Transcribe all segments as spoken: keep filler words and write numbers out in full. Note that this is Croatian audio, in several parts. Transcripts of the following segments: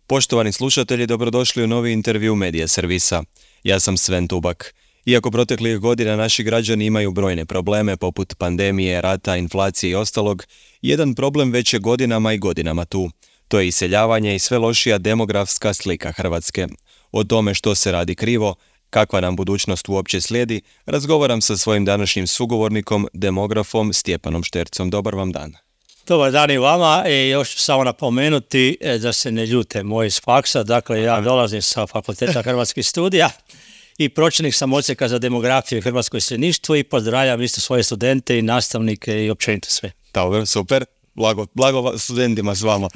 Poštovani slušatelji, dobrodošli u novi intervju Medija servisa. Ja sam Sven Tubak. Iako proteklih godina naši građani imaju brojne probleme poput pandemije, rata, inflacije i ostalog, jedan problem već je godinama i godinama tu. To je iseljavanje i sve lošija demografska slika Hrvatske. O tome što se radi krivo, kakva nam budućnost uopće slijedi, razgovaram sa svojim današnjim sugovornikom, demografom Stjepanom Štercom. Dobar vam dan. Dobar dan i vama. I još ću samo napomenuti da se ne ljute moji iz faksa. Dakle, ja dolazim sa Fakulteta hrvatskih studija i pročelnik sam odsjeka za demografiju i hrvatsko iseljeništvo i pozdravljam isto svoje studente i nastavnike i općenito sve. Dobro, super. Blago, blago studentima s vama.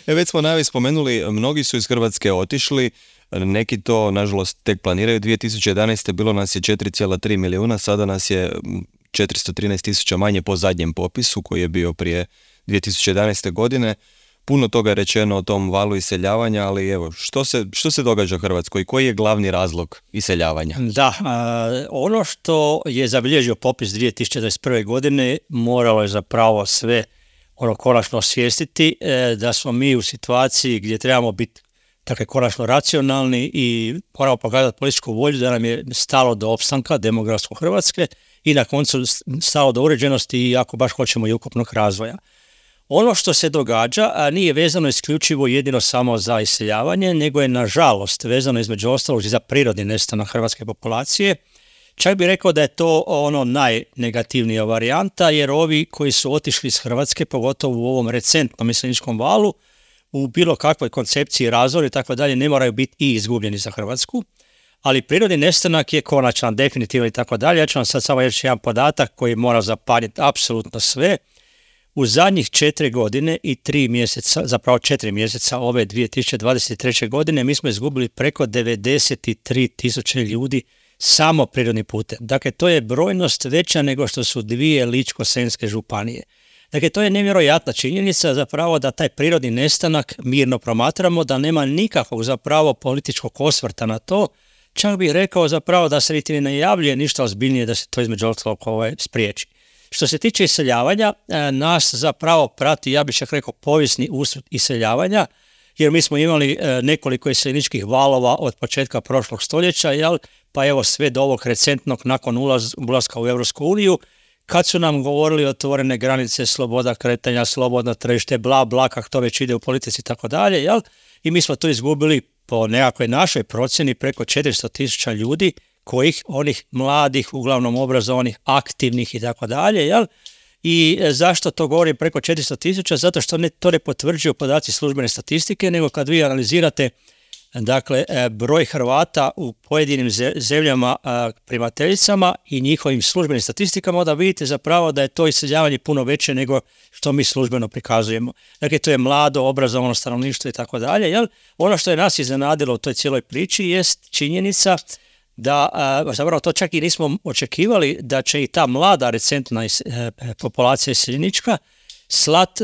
e, već smo najavi spomenuli, mnogi su iz Hrvatske otišli, neki to nažalost tek planiraju. dvije tisuće jedanaeste. bilo nas je četiri zarez tri milijuna, sada nas je četiristo trinaest tisuća manje po zadnjem popisu koji je bio prije dvije tisuće jedanaeste. godine. Puno toga je rečeno o tom valu iseljavanja, ali evo, što se, što se događa u Hrvatskoj i koji je glavni razlog iseljavanja? Da, a, ono što je zabilježio popis dvije tisuće dvadeset prve. godine moralo je zapravo sve ono konačno osvijestiti e, da smo mi u situaciji gdje trebamo biti dakle, konačno racionalni i moramo pokazati političku volju da nam je stalo do opstanka demografskog Hrvatske i na koncu stalo do uređenosti i ako baš hoćemo i ukupnog razvoja. Ono što se događa a nije vezano isključivo jedino samo za iseljavanje, nego je nažalost vezano između ostalog i za prirodni nestanak hrvatske populacije. Čak bih rekao da je to ono najnegativnija varijanta, jer ovi koji su otišli iz Hrvatske, pogotovo u ovom recentnom iseljeničkom valu, u bilo kakvoj koncepciji razvoja i tako dalje, ne moraju biti i izgubljeni za Hrvatsku. Ali prirodni nestanak je konačan, definitivno i tako dalje. Ja ću vam sad samo reći jedan podatak koji mora zapanjiti apsolutno sve. U zadnjih četiri godine i tri mjeseca, zapravo četiri mjeseca ove dvije tisuće dvadeset treće. godine mi smo izgubili preko devedeset tri tisuće ljudi samo prirodni putem. Dakle, to je brojnost veća nego što su dvije Ličko-senjske županije. Dakle, to je nevjerojatna činjenica zapravo da taj prirodni nestanak mirno promatramo, da nema nikakvog zapravo političkog osvrta na to. Čak bih rekao zapravo da se niti ne najavljuje ništa ozbiljnije da se to između ostalog ovaj, spriječi. Što se tiče iseljavanja, nas zapravo prati, ja bih čak rekao, povijesni usud iseljavanja, jer mi smo imali nekoliko iseljeničkih valova od početka prošlog stoljeća, jel? Pa evo sve do ovog recentnog nakon ulaz, ulaska u Europsku uniju, kad su nam govorili otvorene granice, sloboda kretanja, slobodno tržište, bla, bla, kako to već ide u politici i tako dalje, jel? I mi smo to izgubili po nekakvoj našoj procjeni preko četiristo tisuća ljudi, kojih onih mladih, uglavnom obrazovanih, aktivnih i tako dalje, jel? I zašto to govorim preko četiristo tisuća? Zato što ne, to ne potvrđuju podaci službene statistike, nego kad vi analizirate dakle, broj Hrvata u pojedinim zemljama primateljicama i njihovim službenim statistikama, onda vidite zapravo da je to iseljavanje puno veće nego što mi službeno prikazujemo. Dakle, to je mlado, obrazovano stanovništvo i tako dalje, jel? Ono što je nas iznenadilo u toj cijeloj priči jest činjenica da, zapravo to čak i nismo očekivali da će i ta mlada recentna populacija iseljenička slat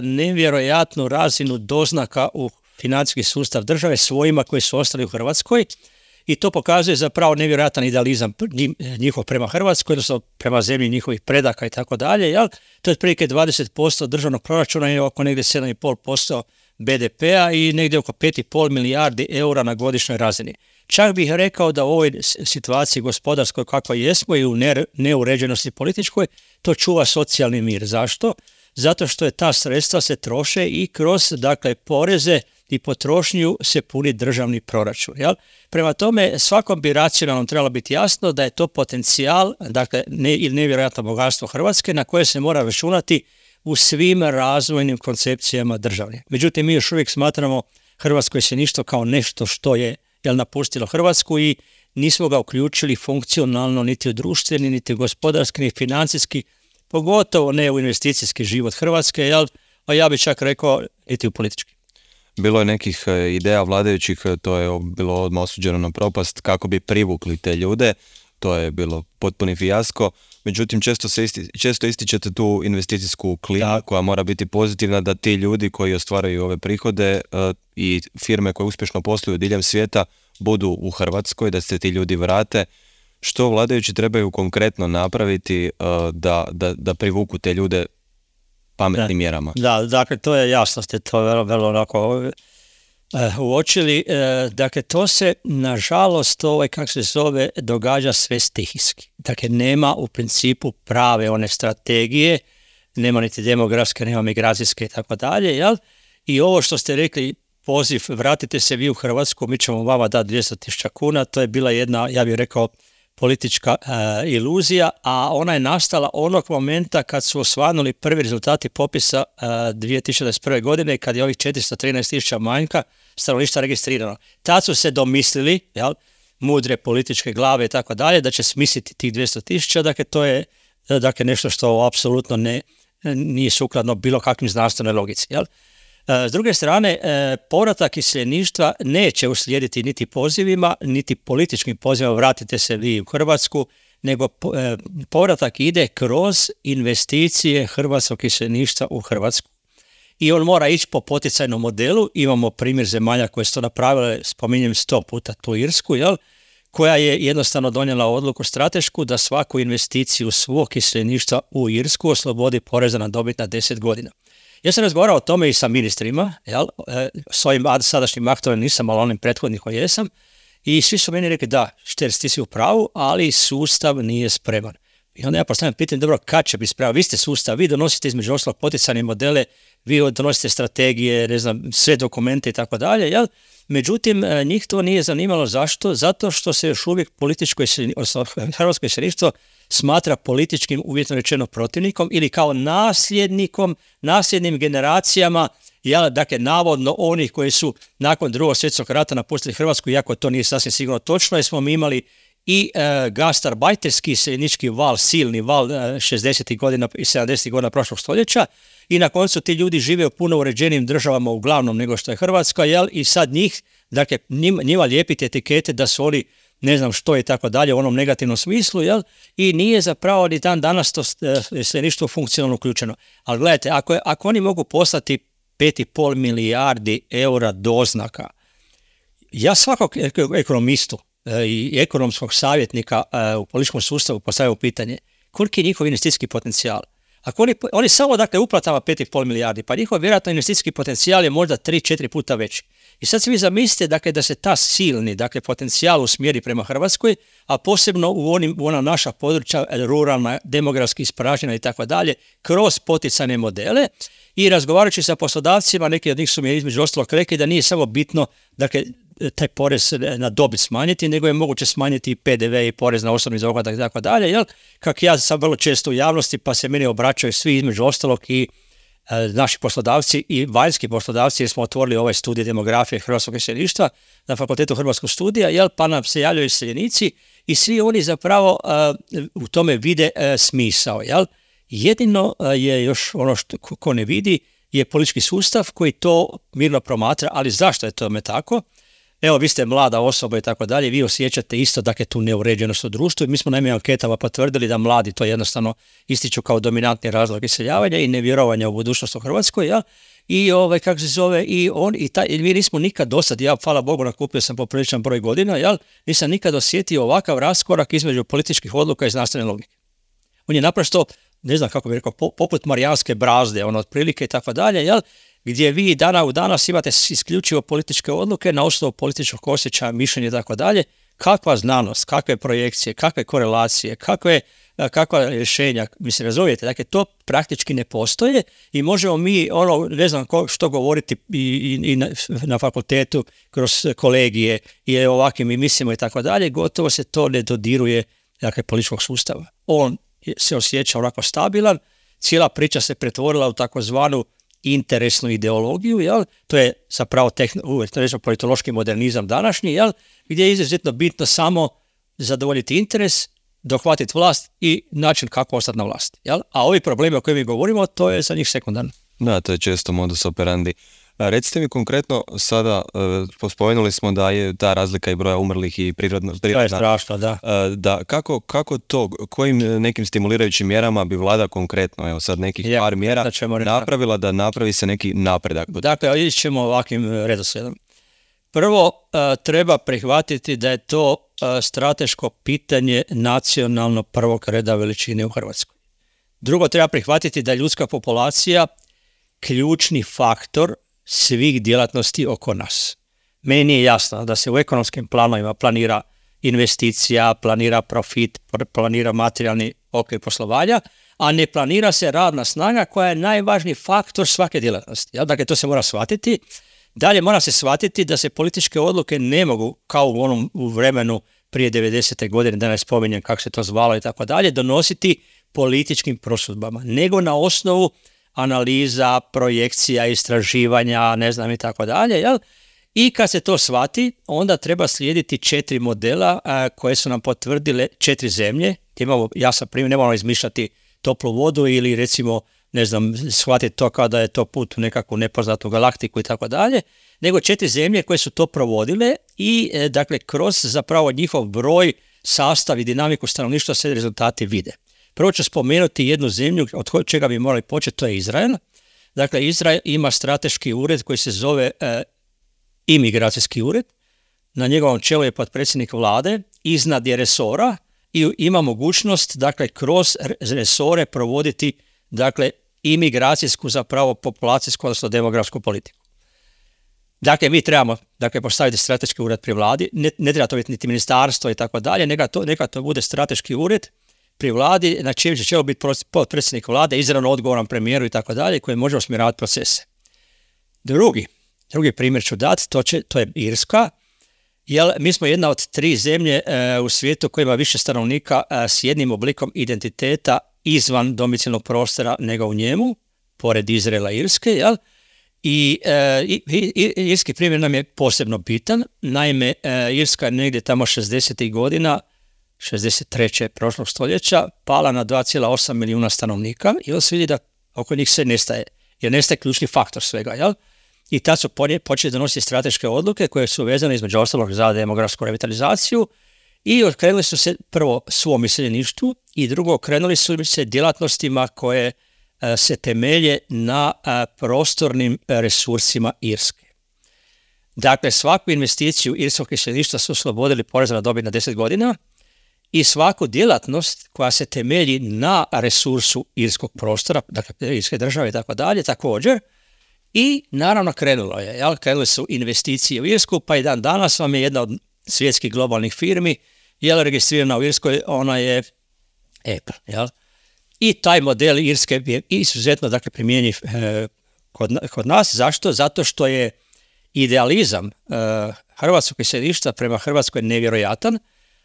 nevjerojatnu razinu doznaka u financijski sustav države svojima koji su ostali u Hrvatskoj i to pokazuje zapravo nevjerojatan idealizam njihov prema Hrvatskoj, odnosno prema zemlji njihovih predaka i tako dalje. Jel? To je otprilike dvadeset posto državnog proračuna i oko negdje sedam zarez pet posto be de pea i negdje oko pet zarez pet milijardi eura na godišnjoj razini. Čak bih rekao da u ovoj situaciji gospodarskoj kakva jesmo i u neuređenosti političkoj, to čuva socijalni mir. Zašto? Zato što je ta sredstva se troše i kroz dakle, poreze i potrošnju se puni državni proračun. Jel? Prema tome, svakom bi racionalno trebalo biti jasno da je to potencijal, dakle, ne, ili nevjerojatno bogatstvo Hrvatske na koje se mora računati u svim razvojnim koncepcijama državne. Međutim, mi još uvijek smatramo Hrvatsko iseljeništvo kao nešto što je jel, napustilo Hrvatsku i nismo ga uključili funkcionalno niti u društveni, niti u gospodarski, niti financijski, pogotovo ne u investicijski život Hrvatske, jel, a ja bih čak rekao niti u politički. Bilo je nekih ideja vladajućih, to je bilo odmah osuđeno na propast, kako bi privukli te ljude, to je bilo potpuni fijasko. Međutim, često, se isti, često ističete tu investicijsku klimu da. koja mora biti pozitivna da ti ljudi koji ostvaraju ove prihode uh, i firme koje uspješno posluju diljem svijeta budu u Hrvatskoj, da se ti ljudi vrate. Što vladajući trebaju konkretno napraviti uh, da, da, da privuku te ljude pametnim da. mjerama? Da, dakle, to je jasno, ste to vrlo, vrlo onako uočili, dakle to se nažalost ovaj, kako se zove, događa sve stihijski. Dakle nema u principu prave one strategije, nema niti demografske, nema migracijske i tako dalje, jel? I ovo što ste rekli, poziv, vratite se vi u Hrvatsku, mi ćemo vama dati dvjesto tisuća kuna, to je bila jedna, ja bih rekao, politička uh, iluzija, a ona je nastala onog momenta kad su osvanuli prvi rezultati popisa uh, dvije tisuće dvadeset prve. godine, kad je ovih četiristo trinaest tisuća manjka stanovništva registrirano. Tad su se domislili, jel, mudre političke glave i tako dalje, da će smisliti tih dvjesto tisuća, dakle to je dakle, nešto što apsolutno ne, nije sukladno bilo kakvim znanstvenoj logici, jel? S druge strane, povratak iseljeništva neće uslijediti niti pozivima, niti političkim pozivima vratite se vi u Hrvatsku, nego povratak ide kroz investicije hrvatskog iseljeništva u Hrvatsku. I on mora ići po poticajnom modelu. Imamo primjer zemalja koje su to napravile, spominjem sto puta tu Irsku, jel? Koja je jednostavno donijela odluku stratešku da svaku investiciju svog iseljeništva u Irsku oslobodi poreza na dobit na deset godina. Ja sam razgovarao o tome i sa ministrima, jel? S ovim sadašnjim aktom nisam, ali onim prethodnim koji jesam, i svi su meni rekli da, Šterc, ti si u pravu, ali sustav nije spreman. I onda ja postavljam pitanje, dobro, kad će biti spreman? Vi ste sustav, vi donosite između ostalog poticajne modele, vi donosite strategije, ne znam, sve dokumente i tako dalje, jel? Međutim, njih to nije zanimalo. Zašto? Zato što se još uvijek političko odnosno hrvatsko iseljeništvo smatra političkim, uvjetno rečeno, protivnikom ili kao nasljednikom, nasljednim generacijama, jel, dakle, navodno onih koji su nakon drugog svjetskog rata napustili Hrvatsku, iako to nije sasvim sigurno točno, jer smo mi imali i e, gastarbajterski iseljenički val, silni val e, šezdesetih godina i sedamdesetih godina prošlog stoljeća, i na koncu ti ljudi žive u puno uređenijim državama uglavnom nego što je Hrvatska, jel, i sad njih, dakle, njima, njima lijepiti etikete da su oni ne znam što i tako dalje u onom negativnom smislu, jel, i nije zapravo ni dan danas to iseljeništvo funkcionalno uključeno. Ali gledajte, ako, ako oni mogu poslati pet i pol milijardi eura doznaka, ja svakog ekonomistu i ekonomskog savjetnika u političkom sustavu postavljaju pitanje koliki je njihov investicijski potencijal. Ako oni, oni samo dakle uplatama pet i pol milijardi, pa njihov vjerojatno investicijski potencijal je možda tri četiri puta veći. I sad se vi zamislite dakle, da se ta silni dakle, potencijal usmjeri prema Hrvatskoj, a posebno u, onim, u ona naša područja, ruralna, demografski ispražnjena i tako dalje, kroz poticajne modele. I razgovarajući sa poslodavcima, neki od njih su mi između ostalog rekli da nije samo bitno dakle, taj porez na dobit smanjiti, nego je moguće smanjiti i pe de ve i porez na osobni dohodak i tako dalje, jel? Kako ja sam vrlo često u javnosti, pa se meni obraćaju svi između ostalog i e, naši poslodavci i vanjski poslodavci, jer smo otvorili ovaj studij demografije hrvatskog iseljeništva na Fakultetu hrvatskog studija, jel? Pa nam se javljaju iseljenici i svi oni zapravo e, u tome vide e, smisao, jel? Jedino e, je još ono što ko ne vidi je politički sustav koji to mirno promatra, ali zašto je tome tako? Evo, vi ste mlada osoba i tako dalje, vi osjećate isto dakle tu neuređenost u društvu i mi smo naime anketama potvrdili da mladi to jednostavno ističu kao dominantni razlog iseljavanja i nevjerovanja u budućnost u Hrvatskoj, ja? I ovaj, kako se zove, i on, i taj, mi nismo nikad dosad, ja, hvala Bogu, nakupio sam popriličan broj godina, jel? Nisam nikad osjetio ovakav raskorak između političkih odluka i znanstvene logike. On je naprosto, ne znam kako bih rekao, poput marijanske brazde, ono, otprilike i tako dalje, jel? Gdje vi dana u danas imate isključivo političke odluke na osnovu političkog osjećaja, mišljenja i tako dalje. Kakva znanost, kakve projekcije, kakve korelacije, kakve, kakva rješenja, mislim, razumijete, dakle, to praktički ne postoje i možemo mi, ono, ne znam ko, što govoriti i, i, i na, na fakultetu, kroz kolegije i ovakvim i mislimo i tako dalje, gotovo se to ne dodiruje, dakle, političkog sustava. On se osjeća onako stabilan, cijela priča se pretvorila u takozvanu interesnu ideologiju, jel? To je zapravo tehn- politološki modernizam današnji, jel? Gdje je izuzetno bitno samo zadovoljiti interes, dohvatiti vlast i način kako ostati na vlasti. Jel? A ovi problemi o kojima mi govorimo, to je za njih sekundarno. Da, to je često modus operandi. Recite mi konkretno, sada uh, spomenuli smo da je ta razlika i broja umrlih i prirodna... prirodna to je strašno, da. Uh, da kako, kako to, kojim nekim stimulirajućim mjerama bi vlada konkretno, evo sad nekih ja, par mjera, napravila da napravi se neki napredak? Dakle, ići ćemo ovakvim redoslijedom. Prvo, uh, treba prihvatiti da je to uh, strateško pitanje nacionalno prvog reda veličine u Hrvatskoj. Drugo, treba prihvatiti da je ljudska populacija ključni faktor svih djelatnosti oko nas. Meni nije jasno da se u ekonomskim planovima planira investicija, planira profit, planira materijalni okvir poslovanja, a ne planira se radna snaga koja je najvažniji faktor svake djelatnosti. Dakle, to se mora shvatiti. Dalje mora se shvatiti da se političke odluke ne mogu, kao u onom u vremenu prije devedesete godine, da ne spominjem kako se to zvalo i tako dalje, donositi političkim prosudbama, nego na osnovu analiza, projekcija, istraživanja, ne znam i tako dalje, jel? I kad se to shvati, onda treba slijediti četiri modela a, koje su nam potvrdile četiri zemlje. Imamo jasan primjer, ne moramo izmišljati toplu vodu ili recimo, ne znam, shvatiti to kao da je to put u nekakvu nepoznatu galaktiku i tako dalje, nego četiri zemlje koje su to provodile i e, dakle kroz zapravo njihov broj, sastav i dinamiku stanovništva se rezultati vide. Prvo ću spomenuti jednu zemlju od čega bi morali početi, to je Izrael. Dakle, Izrael ima strateški ured koji se zove e, imigracijski ured. Na njegovom čelu je potpredsjednik vlade, iznad je resora i ima mogućnost, dakle, kroz resore provoditi, dakle, imigracijsku, zapravo populacijsku, odnosno demografsku politiku. Dakle, mi trebamo, dakle, postaviti strateški ured pri vladi, ne, ne treba to biti niti ministarstvo i tako dalje, neka to, neka to bude strateški ured pri vladi, na čijem će čelu biti potpredsjednik vlade, izravno odgovoran premijeru i tako dalje, koji može usmjeravati procese. Drugi, drugi primjer ću dati, to, će, to je Irska, jer mi smo jedna od tri zemlje e, u svijetu koja ima više stanovnika e, s jednim oblikom identiteta izvan domicilnog prostora nego u njemu, pored Izraela i Irske, jel? I, e, i, i irski primjer nam je posebno bitan. Naime, e, Irska je negdje tamo šezdesetih godina, šezdeset treće prošlog stoljeća, pala na dva zarez osam milijuna stanovnika i onda se vidi da oko njih sve nestaje, jer nestaje ključni faktor svega, jel? I tad su počeli donositi strateške odluke koje su vezane između ostalog za demografsku revitalizaciju i okrenuli su se prvo svom iseljeništvu i drugo okrenuli su se djelatnostima koje a, se temelje na a, prostornim resursima Irske. Dakle, svaku investiciju irskog iseljeništva su oslobodili poreza na dobit na deset godina i svaku djelatnost koja se temelji na resursu irskog prostora, dakle irske države i tako dalje, također. I naravno krenulo je, jel? Krenule su investicije u Irsku, pa i dan danas vam je jedna od svjetskih globalnih firmi, jel, registrirana u Irskoj, ona je Apple, jel? I taj model Irske je izuzetno, dakle, primjenjiv e, kod, kod nas. Zašto? Zato što je idealizam e, hrvatskog iseljeništva prema Hrvatskoj nevjerojatan,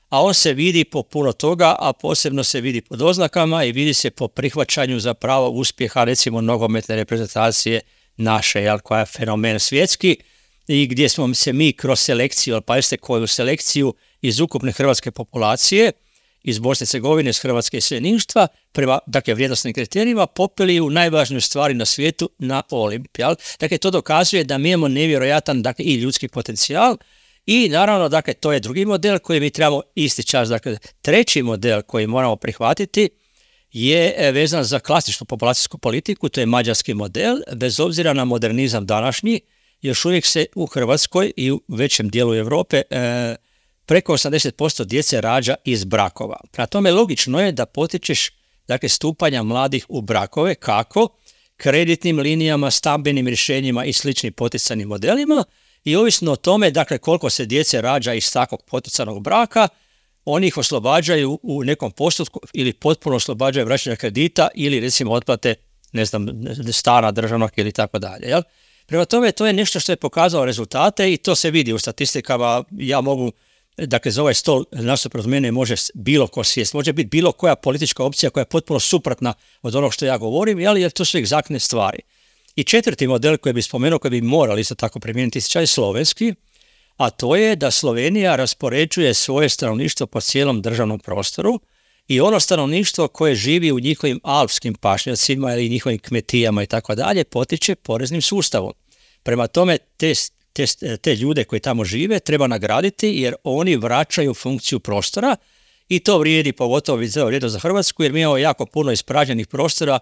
a on se vidi po puno toga, a posebno se vidi po doznakama i vidi se po prihvaćanju zapravo uspjeha, recimo, nogometne reprezentacije naše, jel, koja je fenomen svjetski i gdje smo se mi kroz selekciju, ali pazite koju selekciju iz ukupne hrvatske populacije, iz Bosne i Hercegovine, iz hrvatske iseljeništva, prema, dakle, vrijednosnim kriterijima, popeli u najvažniju stvari na svijetu, na Olimp. Jel? Dakle, to dokazuje da mi imamo nevjerojatan, dakle, i ljudski potencijal i naravno, dakle, to je drugi model koji mi trebamo isti čas. Dakle, treći model koji moramo prihvatiti je vezan za klasičnu populacijsku politiku, to je mađarski model, bez obzira na modernizam današnji, još uvijek se u Hrvatskoj i u većem dijelu Europe e, preko osamdeset posto djece rađa iz brakova. Prema tome, logično je da potičeš, dakle, stupanja mladih u brakove, kako? Kreditnim linijama, stambenim rješenjima i sličnim poticajnim modelima i ovisno o tome, dakle, koliko se djece rađa iz takvog poticanog braka, oni ih oslobađaju u nekom postotku ili potpuno oslobađaju vraćanja kredita ili recimo otplate, ne znam, stana državnog ili tako dalje. Jel? Prema tome, to je nešto što je pokazalo rezultate i to se vidi u statistikama. Ja mogu, dakle, za ovaj stol nasuprot mene može bilo ko sjest, može biti bilo koja politička opcija koja je potpuno suprotna od onog što ja govorim, jel? Jer to su egzaktne stvari. I četvrti model koji bi spomenuo, koji bi morali isto tako primijeniti, je slovenski, a to je da Slovenija raspoređuje svoje stanovništvo po cijelom državnom prostoru i ono stanovništvo koje živi u njihovim alpskim pašnjacima ili njihovim kmetijama i tako dalje potiče poreznim sustavom. Prema tome, te, te, te ljude koji tamo žive treba nagraditi jer oni vraćaju funkciju prostora i to vrijedi pogotovo vrijedi za Hrvatsku jer mi imamo jako puno ispražnjenih prostora,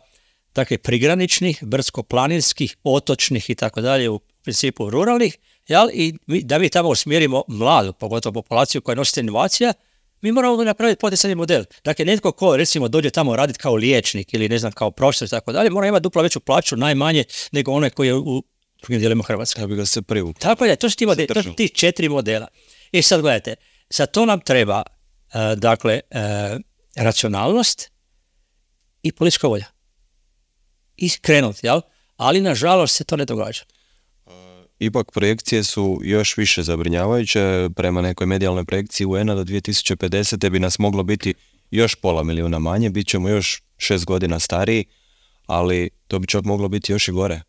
dakle prigraničnih, brdsko-planinskih, otočnih i tako dalje, u principu ruralnih, jel? I mi, da mi tamo usmjerimo mladu, pogotovo populaciju koja nosi inovacija, mi moramo napraviti poticajni model. Dakle, netko ko recimo dođe tamo raditi kao liječnik ili ne znam kao profesor i tako dalje, mora imati duplo veću plaću najmanje nego onaj koji je u drugim dijelima Hrvatske. Da bi ga se privukli. Tako je, to su ti, modeli, to su ti četiri modela. I sad gledajte, za to nam treba uh, dakle, uh, racionalnost i politička volja. I krenuti, jel? Ali nažalost se to ne događa. Ipak projekcije su još više zabrinjavajuće. Prema nekoj medijalnoj projekciji U N-a do dvije tisuće pedesete bi nas moglo biti još pola milijuna manje, bit ćemo još šest godina stariji, ali to bi čak moglo biti još i gore.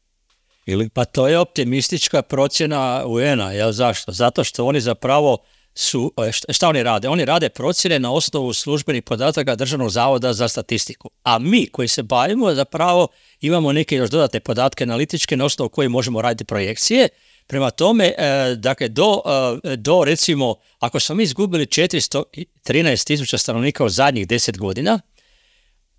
Ili? Pa to je optimistička procjena U N-a, jel zašto? Zato što oni zapravo su, šta oni rade? Oni rade procjene na osnovu službenih podataka Državnog zavoda za statistiku. A mi koji se bavimo zapravo imamo neke još dodatne podatke analitičke na osnovu koje možemo raditi projekcije. Prema tome, e, dakle, do, e, do recimo, ako smo mi izgubili četiristo trinaest tisuća stanovnika u zadnjih deset godina,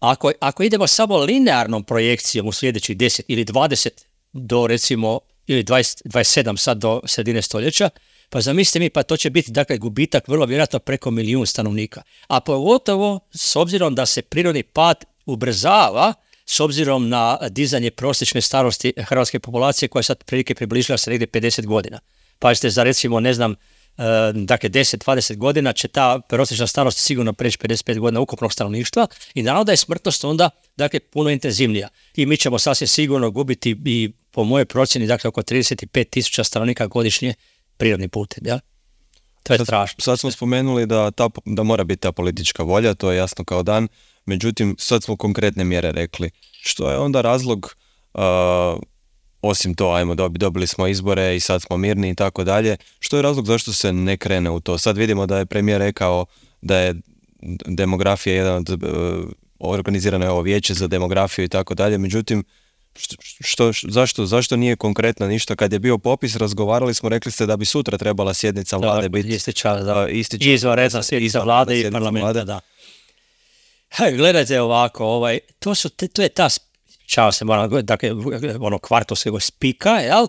ako, ako idemo samo linearnom projekcijom u sljedećih deset ili dvadeset do recimo, ili dvadeset, dvadeset sedam sad do sredine stoljeća, pa zamislite mi, pa to će biti dakle gubitak vrlo vjerojatno preko milijun stanovnika. A pogotovo s obzirom da se prirodni pad ubrzava s obzirom na dizanje prosječne starosti hrvatske populacije koja sad prilike približila se negdje pedeset godina. Pazite, za recimo, ne znam, dakle deset do dvadeset godina će ta prosječna starost sigurno preći pedeset pet godina ukupnog stanovništva i naravno da je smrtnost onda dakle puno intenzivnija. I mi ćemo sasvim sigurno gubiti i po mojoj procjeni dakle oko trideset pet tisuća stanovnika godišnje prirodni putem, ja? To je sad, strašno. Sad smo spomenuli da, ta, da mora biti ta politička volja, to je jasno kao dan, međutim sad smo konkretne mjere rekli. Što je onda razlog, uh, osim to, ajmo, dobili smo izbore i sad smo mirni i tako dalje, što je razlog zašto se ne krene u to? Sad vidimo da je premijer rekao da je demografija jedan od, uh, organizirano je ovo vijeće za demografiju i tako dalje, međutim, Što, što, zašto, zašto nije konkretno ništa? Kad je bio popis, razgovarali smo, rekli ste da bi sutra trebala sjednica vlade biti ističala, da. Ističa, izvanredna sjednica vlade i parlamenta, da. Hej, gledajte ovako, ovaj, to, su, to je ta, čao se moram, dakle, ono kvartovskog spika, jel,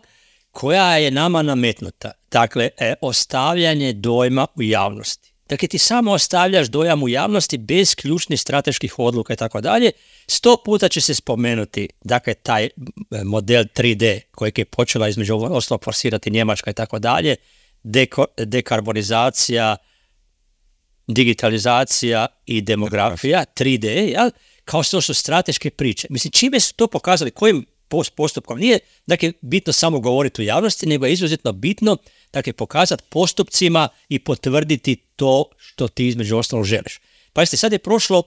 koja je nama nametnuta. Dakle, e, ostavljanje dojma u javnosti. Dakle, ti samo ostavljaš dojam u javnosti bez ključnih strateških odluka i tako dalje. Sto puta će se spomenuti, dakle, taj model tri D kojeg je počela između ostalog forsirati Njemačka i tako dalje, deko, dekarbonizacija, digitalizacija i demografija, tri D, jel? Kao što su strateške priče. Mislim, čime su to pokazali, kojim postupkom? Nije, dakle, bitno samo govoriti u javnosti, nego je izuzetno bitno, dakle, pokazati postupcima i potvrditi to što ti između ostalog želiš. Pazite, sad je prošlo,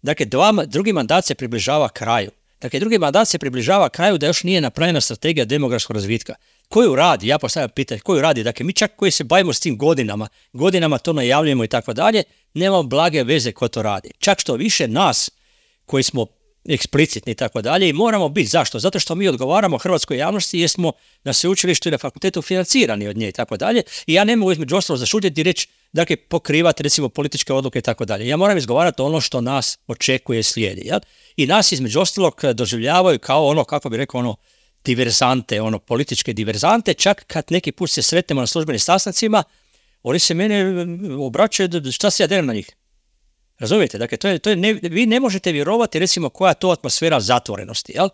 dakle, dva, drugi mandat se približava kraju. Dakle, drugi mandat se približava kraju da još nije napravljena strategija demografskog razvitka. Koju radi? Ja postavljam pitanje, koju radi? Dakle, mi čak koji se bavimo s tim godinama, godinama to najavljujemo i tako dalje, nemamo blage veze ko to radi. Čak što više nas koji smo eksplicitni i tako dalje i moramo biti. Zašto? Zato što mi odgovaramo hrvatskoj javnosti jer smo na sveučilištu i na fakultetu financirani od nje i tako dalje i ja ne mogu između ostalo zašutiti i reći, dakle, pokrivati recimo političke odluke i tako dalje. Ja moram izgovarati ono što nas očekuje slijedi. Ja? I nas između ostalog doživljavaju kao ono, kako bi rekao, ono, diverzante, ono, političke diverzante, čak kad neki put se sretnemo na službenim sastancima, oni se mene obraćaju, šta se ja delim na njih? Razumijete? Dakle, to je, to je ne, vi ne možete vjerovati recimo koja je to atmosfera zatvorenosti, jel?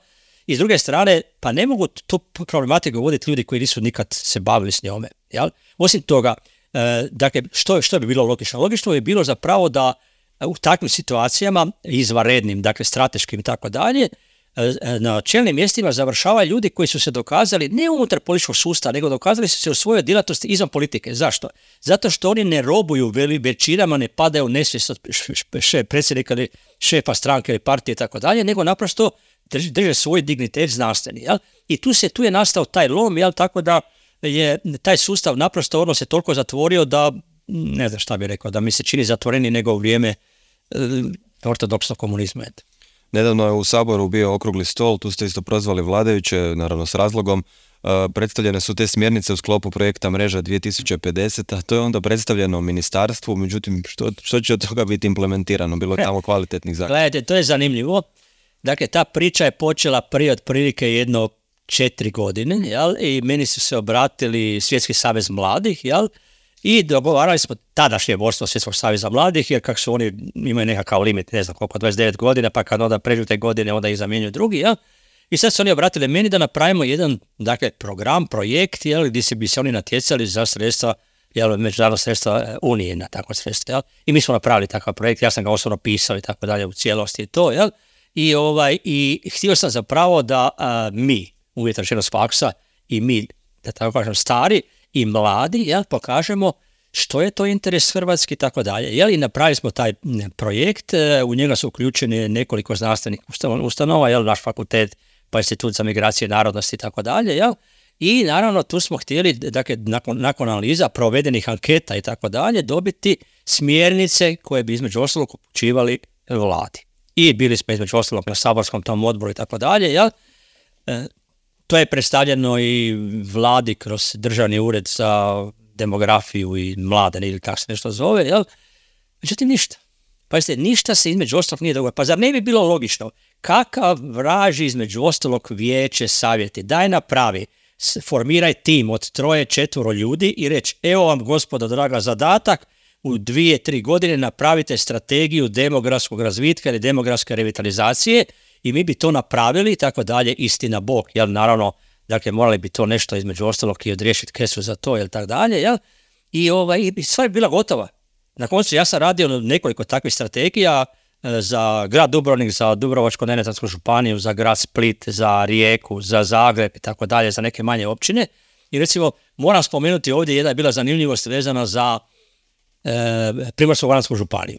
I s druge strane, pa ne mogu tu problematiku voditi ljudi koji nisu nikad se bavili s njome, jel? Osim toga, e, dakle, što, što bi bilo logično? Logično bi bilo zapravo da u takvim situacijama, izvanrednim, dakle, strateškim i tako dalje, na čelnim mjestima završavaju ljudi koji su se dokazali ne unutar političkog sustava, nego dokazali su se u svojoj djelatnosti izvan politike. Zašto? Zato što oni ne robuju većinama, ne padaju u nesvijest od predsjednika ili šefa stranke ili partije i tako dalje, nego naprosto drže, drže svoj dignitet znanstveni. Jel? I tu, se, tu je nastao taj lom, jel? Tako da je taj sustav naprosto ono se toliko zatvorio da, ne znam šta bih rekao, da mi se čini zatvoreni nego u vrijeme e, ortodoksnog komunizma. Nedavno je u Saboru bio okrugli stol, tu ste isto prozvali vladajuće, naravno s razlogom. Uh, predstavljene su te smjernice u sklopu projekta Mreža dvije tisuće pedeset, a to je onda predstavljeno ministarstvu, međutim što, što će od toga biti implementirano? Bilo je tamo kvalitetnih zakona. Gledajte, to je zanimljivo. Dakle, ta priča je počela prije otprilike jedno četiri godine, jel? I meni su se obratili Svjetski savez mladih, jel? I dogovarali smo tadašnje vodstvo Svjetskog saveza mladih, jer kako su oni imaju nekakav limit, ne znam koliko, dvadeset devet godina, pa kad onda pređu te godine, onda ih zamjenjuju drugi, ja? I sad su oni obratili meni da napravimo jedan, dakle, program, projekt, jel, gdje se bi se oni natjecali za sredstva, jel, međunarodna sredstva Unije na takva sredstva, jel. I mi smo napravili takav projekt, ja sam ga osobno pisao i tako dalje u cijelosti i to, jel. I, ovaj, i htio sam zapravo da a, mi, uvjetno rečeno s faksa, i mi, da tako kažem, stari i mladi, jel, pokažemo što je to interes Hrvatske i tako dalje. Jel, i napravili smo taj projekt, u njega su uključeni nekoliko znanstvenih ustanova, jel, naš fakultet, pa Institut za migracije, narodnosti i tako dalje, jel? I naravno tu smo htjeli, dakle, nakon, nakon analiza provedenih anketa i tako dalje, dobiti smjernice koje bi između ostalog upućivali vladi. I bili smo između ostalog na saborskom tom odboru i tako dalje, jel? E, to je predstavljeno i vladi kroz Državni ured za demografiju i mlade, ili tako se nešto zove, jel? Međutim, ništa. Pazite, ništa se između ostalog nije dogodilo. Pa zar ne bi bilo logično? Kakav vraži između ostalog vijeće, savjeti? Daj napravi, formiraj tim od troje, četvoro ljudi i reći, evo vam, gospodo draga, zadatak, u dvije, tri godine napravite strategiju demografskog razvitka ili demografske revitalizacije i mi bi to napravili i tako dalje, istina Bog, jel, naravno, dakle, morali bi to nešto između ostalog i odriješiti kesu za to, jel, tako dalje, jel, i, ovaj, i stvar je bila gotova. Na koncu ja sam radio nekoliko takvih strategija za grad Dubrovnik, za Dubrovačko-neretvansku županiju, za grad Split, za Rijeku, za Zagreb i tako dalje, za neke manje općine. I recimo, moram spomenuti ovdje, jedna je bila zanimljivost vezana za e, Primorsko-goransku županiju.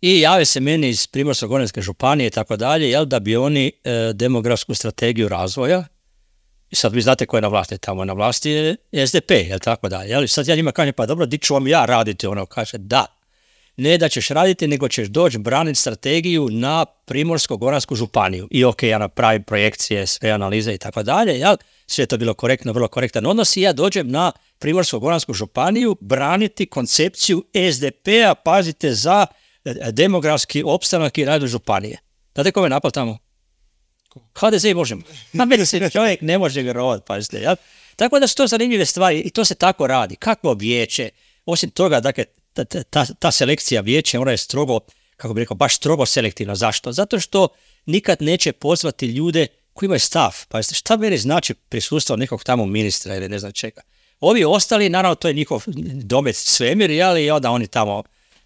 I jave se meni iz Primorsko-goranske županije i tako dalje, jel, da bi oni e, demografsku strategiju razvoja, i sad vi znate ko je na vlasti tamo, na vlasti je S D P, jel, tako dalje. Jel? Sad ja njima kažem, pa dobro, di ću vam ja raditi, ono, kaže, da. Ne da ćeš raditi, nego ćeš doći braniti strategiju na Primorsko-goransku županiju. I ok, ja napravim projekcije, sve analize i tako dalje, jel? Sve je to bilo korektno, vrlo korektan odnos i ja dođem na Primorsko-goransku županiju braniti koncepciju S D P-a, pazite, za demografski opstanak i razvoj županije. Znate ko me napal tamo? H D Z i Možemo. Na meni se čovjek ne može vjerovati, pazite, jel? Tako da su to zanimljive stvari i to se tako radi. Kakvo vijeće? Osim toga, dakle, ta, ta, ta selekcija vijeća, ona je strogo, kako bih rekao, baš strogo selektivna. Zašto? Zato što nikad neće pozvati ljude koji imaju stav. Pazite, šta meni znači prisustvo nekog tamo ministra ili ne znam čega. Ovi ostali, naravno, to je njihov domet svemir, jel? I onda oni tamo,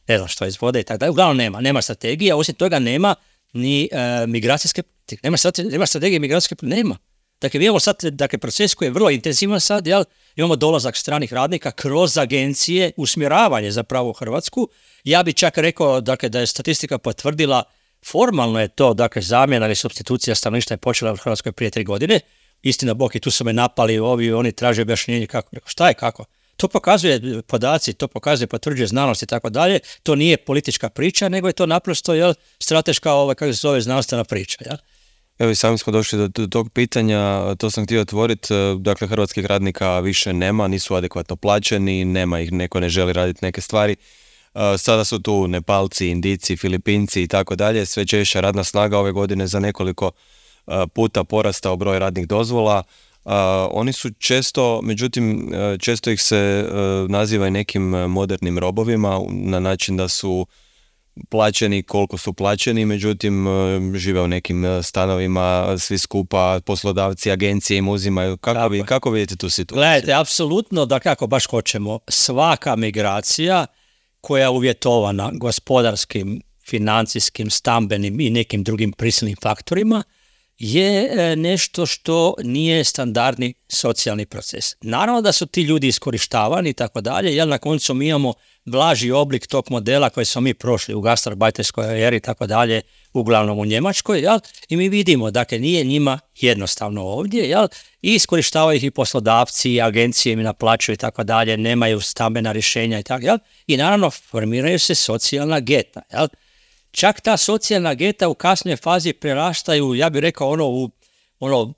ne znam što izvode i tako dalje. Uglavnom nema, nema strategije, osim toga nema ni e, migracijske politike. Nema, nema strategije migracijske politike, nema. Dakle, mi imamo sad, dakle, proces koji je vrlo intenzivan sad, jel? Imamo dolazak stranih radnika kroz agencije, usmjeravanje zapravo u Hrvatsku. Ja bi čak rekao, dakle, da je statistika potvrdila, formalno je to, dakle, zamjena ili supstitucija stanovništva je počela u Hrvatskoj prije tri godine. Istina Bog, i tu su me napali ovi, oni traže objašnjenje kako. Rekao, šta je, kako? To pokazuje podaci, to pokazuje, potvrđuje znanost i tako dalje. To nije politička priča, nego je to naprosto, jel, strateška, ovaj, kako se zove, znanstvena priča, jel? Evo i sami smo došli do, do tog pitanja, to sam htio otvoriti, dakle, hrvatskih radnika više nema, nisu adekvatno plaćeni, nema ih, neko ne želi raditi neke stvari. Sada su tu Nepalci, Indijci, Filipinci i tako dalje, sve češća radna snaga ove godine za nekoliko puta porastao broj radnih dozvola. Uh, oni su često, međutim, često ih se uh, naziva i nekim modernim robovima na način da su plaćeni koliko su plaćeni, međutim uh, žive u nekim stanovima, svi skupa, poslodavci, agencije im uzimaju. Kako, vi, kako vidite tu situaciju? Gledajte, apsolutno, da kako baš hoćemo, svaka migracija koja je uvjetovana gospodarskim, financijskim, stambenim i nekim drugim prisilnim faktorima je nešto što nije standardni socijalni proces. Naravno da su ti ljudi iskorištavani i tako dalje, jer na koncu mi imamo blaži oblik tog modela koji smo mi prošli u gastarbajterskoj eri i tako dalje, uglavnom u Njemačkoj, jel? I mi vidimo, dakle, nije njima jednostavno ovdje, jel? I iskorištavaju ih i poslodavci, i agencije im naplaćuju i tako dalje, nemaju stambena rješenja i tako, jel? I naravno formiraju se socijalna geta, jel? Čak ta socijalna geta u kasnoj fazi prerastaju, ja bih rekao, ono u ono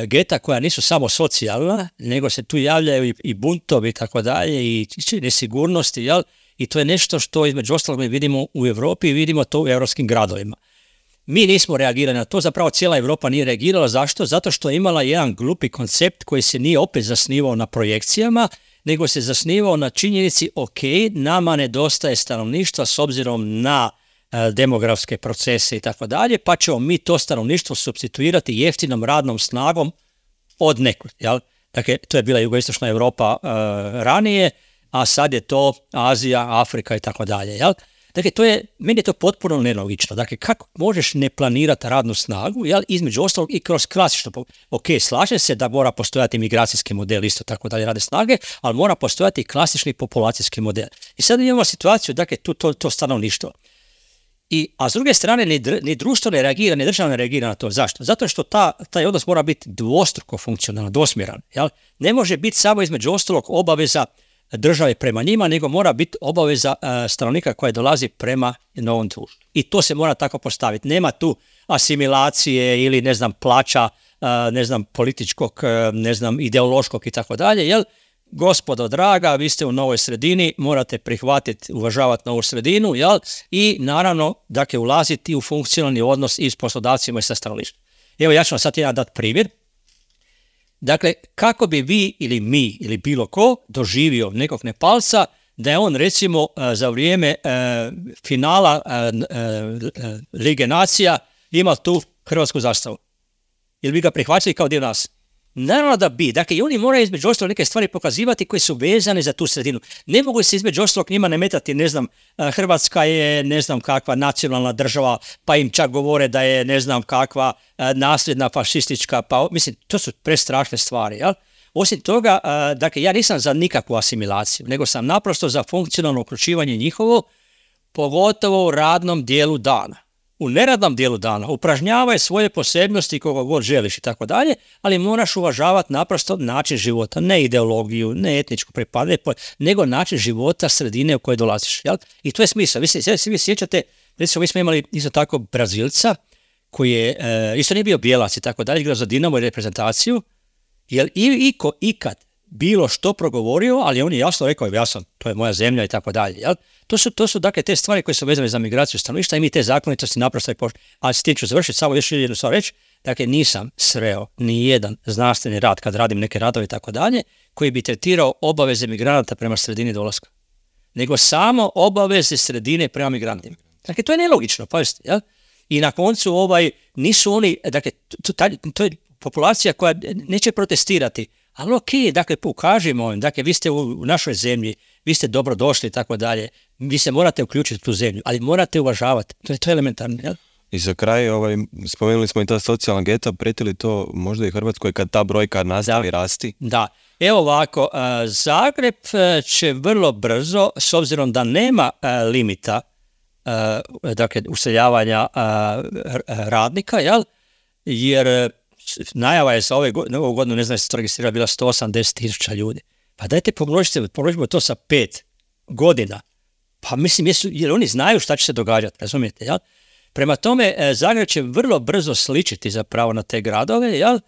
geta koja nisu samo socijalna, nego se tu javljaju i, i buntovi i tako dalje i nesigurnosti, jel? I to je nešto što između ostalog mi vidimo u Europi i vidimo to u europskim gradovima. Mi nismo reagirali na to, zapravo cijela Europa nije reagirala. Zašto? Zato što je imala jedan glupi koncept koji se nije opet zasnivao na projekcijama, nego se zasnivao na činjenici, ok, nama nedostaje stanovništva s obzirom na demografske procese i tako dalje, pa ćemo mi to stanovništvo supstituirati jeftinom radnom snagom od nekud, jel? Dakle, to je bila jugoistočna Europa uh, ranije, a sad je to Azija, Afrika i tako dalje, jel? Dakle, to je, meni je to potpuno nelogično. Dakle, kako možeš ne planirati radnu snagu, jel? Između ostalog i kroz klasično, ok, slažem se da mora postojati migracijski model, isto tako dalje radne snage, ali mora postojati i klasični populacijski model. I sad imamo situaciju, dakle, tu to, to stanovništvo. I, a s druge strane, ni, ni društvo ne reagira, ni država ne reagira na to. Zašto? Zato što ta, taj odnos mora biti dvostruko funkcionalan, dvosmjeran. Jel? Ne može biti samo između ostalog obaveza države prema njima, nego mora biti obaveza uh, stanovnika koja dolazi prema novom društvu. I to se mora tako postaviti. Nema tu asimilacije ili, ne znam, plaća, uh, ne znam, političkog, uh, ne znam, ideološkog i tako dalje, jel? Gospodo draga, vi ste u novoj sredini, morate prihvatiti, uvažavati novu sredinu, jel? I naravno, dakle, ulaziti u funkcionalni odnos i s poslodavcima i sa stanovništvom. Evo, ja ću vam sad jedan dati primjer. Dakle, kako bi vi ili mi ili bilo ko doživio nekog Nepalca da je on, recimo, za vrijeme uh, finala uh, uh, Lige nacija imao tu hrvatsku zastavu? Ili bi ga prihvatili kao dio nas? Naravno da bi. Dakle, i oni moraju između ostalog neke stvari pokazivati koje su vezane za tu sredinu. Ne mogu se između ostalog njima nametati, ne znam, Hrvatska je ne znam kakva nacionalna država, pa im čak govore da je ne znam kakva nasljedna fašistička, pa mislim, to su prestrašne stvari, jel? Osim toga, dakle, ja nisam za nikakvu asimilaciju, nego sam naprosto za funkcionalno uključivanje njihovo, pogotovo u radnom dijelu dana. U neradnom dijelu dana upražnjavaj svoje posebnosti koga god želiš i tako dalje, ali moraš uvažavati naprosto način života, ne ideologiju, ne etničku pripadanje, nego način života sredine u kojoj dolaziš. Jel? I to je smisao. Vi se svi sjećate, recimo mi smo imali isto tako Brazilca, koji je, e, isto nije bio bijelac i tako dalje, igrao za Dinamo i reprezentaciju, jer i iko ikad bilo što progovorio, ali on je jasno rekao, ja sam, to je moja zemlja i tako dalje. Jel? To su, to su dakle te stvari koje su vezane za migraciju stanovništva i mi te zakonitosti naprosto i pošto. A s tim ću završiti, samo još jednu stvar reći, dakle nisam sreo ni jedan znanstveni rad kad radim neke radove i tako dalje, koji bi tretirao obaveze migranata prema sredini dolaska. Nego samo obaveze sredine prema migrantima. Dakle, to je nelogično, pazite, jel? I na koncu ovaj, nisu oni, dakle, to, to, to je populacija koja neće protestirati, ali ok, dakle, pokažimo im, dakle, vi ste u, u našoj zemlji, vi ste dobro došli i tako dalje, vi se morate uključiti u tu zemlju, ali morate uvažavati, to je, to je elementarno, jel? I za kraj, ovaj, spomenuli smo i ta socijalna geta, prijeti li to možda i Hrvatskoj kad ta brojka nastavi da, rasti? Da, evo ovako, Zagreb će vrlo brzo, s obzirom da nema limita, dakle, useljavanja radnika, jel? Jer najava je za ove godine, ovu godinu, ne znam, se to registrirala, bila sto osamdeset tisuća ljudi. Pa dajte pomnožite, pomnožimo to sa pet godina. Pa mislim, jesu, jer oni znaju šta će se događati, razumijete, jel? Prema tome, Zagreb će vrlo brzo sličiti zapravo na te gradove, jel?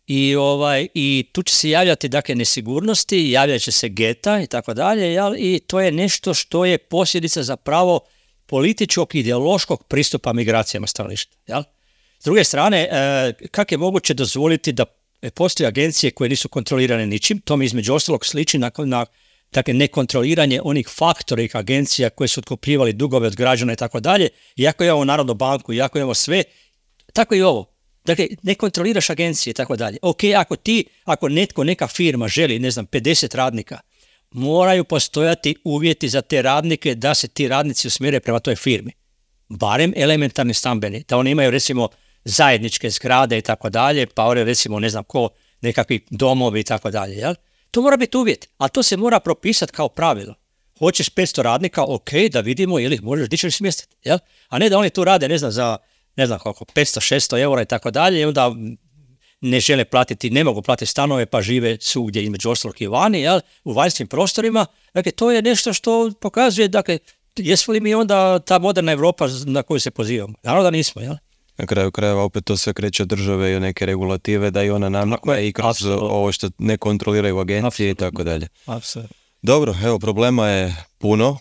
I, ovaj, i tu će se javljati, dakle, nesigurnosti, javljat će se geta i tako dalje, jel? I to je nešto što je posljedica zapravo političkog, ideološkog pristupa migracijama stanovništva, jel? S druge strane, kako je moguće dozvoliti da postoje agencije koje nisu kontrolirane ničim, to mi između ostalog sliči na, na dakle, nekontroliranje onih faktorih agencija koje su otkupljivali dugove od građana i tako dalje, iako imamo Narodnu banku, iako imamo sve, tako i ovo. Dakle, ne kontroliraš agencije i tako dalje. Ok, ako ti, ako netko, neka firma želi, ne znam, pedeset radnika, moraju postojati uvjeti za te radnike da se ti radnici usmjere prema toj firmi. Barem elementarni stambeni, da oni imaju, recimo, zajedničke zgrade i tako dalje, pa one, recimo, ne znam ko, nekakvi domovi i tako dalje, jel? To mora biti uvjet, a to se mora propisati kao pravilo. Hoćeš petsto radnika, ok, da vidimo ili ih možeš dići smjestiti, jel? A ne da oni tu rade, ne znam, za, ne znam koliko, petsto šesto eura i tako dalje, i onda ne žele platiti, ne mogu platiti stanove, pa žive svugdje između ostalog i vani, jel? U vanjskim prostorima. Dakle, to je nešto što pokazuje, dakle, jesmo li mi onda ta moderna Europa na koju se pozivamo? Naravno da nismo, jel? Na kraju krajeva opet to sve kreće od države i neke regulative da i ona namakne i kroz Absolutno. Ovo što ne kontroliraju agencije Absolutno. I tako dalje. Apsolutno. Dobro, evo, problema je puno,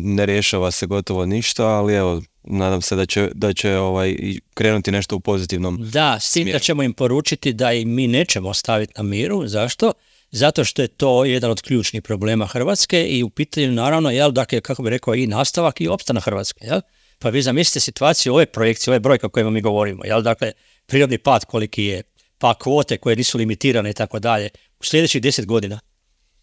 ne rješava se gotovo ništa, ali evo, nadam se da će, da će ovaj, krenuti nešto u pozitivnom Da, s tim da ćemo im poručiti da i mi nećemo ostaviti na miru. Zašto? Zato što je to jedan od ključnih problema Hrvatske i u pitanju naravno, jel, dakle, kako bi rekao, i nastavak i opstanak Hrvatske, jel? Pa vi zamislite situaciju, ove projekcije, ove brojke o kojima mi govorimo, jel? Dakle, prirodni pad koliki je, pa kvote koje nisu limitirane i tako dalje, u sljedećih deset godina.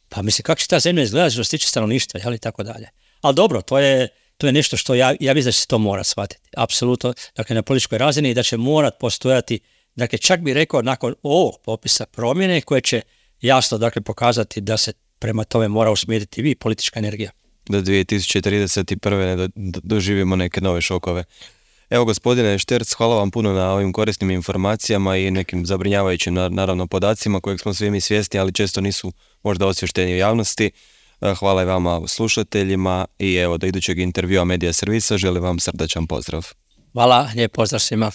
Pa mislim, kako će ta zemlja izgledati što se tiče stanovništva, jel, i tako dalje. Ali dobro, to je, to je nešto što ja, ja mislim da će se to mora shvatiti. Apsolutno, dakle, na političkoj razini i da će morat postojati, dakle, čak bi rekao nakon ovog popisa promjene koje će jasno, dakle, pokazati da se prema tome mora usmjeriti vi politička energija. Do dvije tisuće trideset prve ne do, do, doživimo neke nove šokove. Evo, gospodine Šterc, hvala vam puno na ovim korisnim informacijama i nekim zabrinjavajućim, naravno, podacima kojeg smo svi mi svjesni, ali često nisu možda osvješteni u javnosti. Hvala i vama slušateljima i evo, do idućeg intervjua Medija servisa želim vam srdačan pozdrav. Hvala, lijep pozdrav svima.